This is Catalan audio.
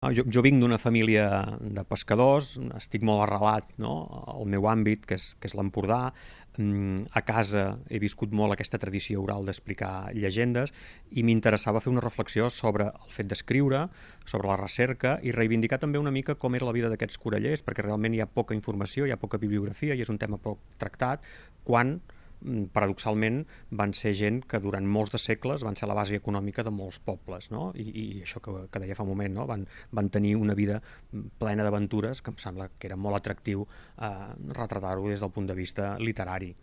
Jo vinc d'una família de pescadors, estic molt arrelat, no? Al meu àmbit, que és l'Empordà. A casa he viscut molt aquesta tradició oral d'explicar llegendes i m'interessava fer una reflexió sobre el fet d'escriure, sobre la recerca i reivindicar també una mica com era la vida d'aquests corallers, perquè realment hi ha poca informació, hi ha poca bibliografia i és un tema poc tractat, quan paradoxalment van ser gent que durant molts de segles van ser la base econòmica de molts pobles, no? I això que deia fa un moment, no? Van tenir una vida plena d'aventures que em sembla que era molt atractiu retratar-ho des del punt de vista literari.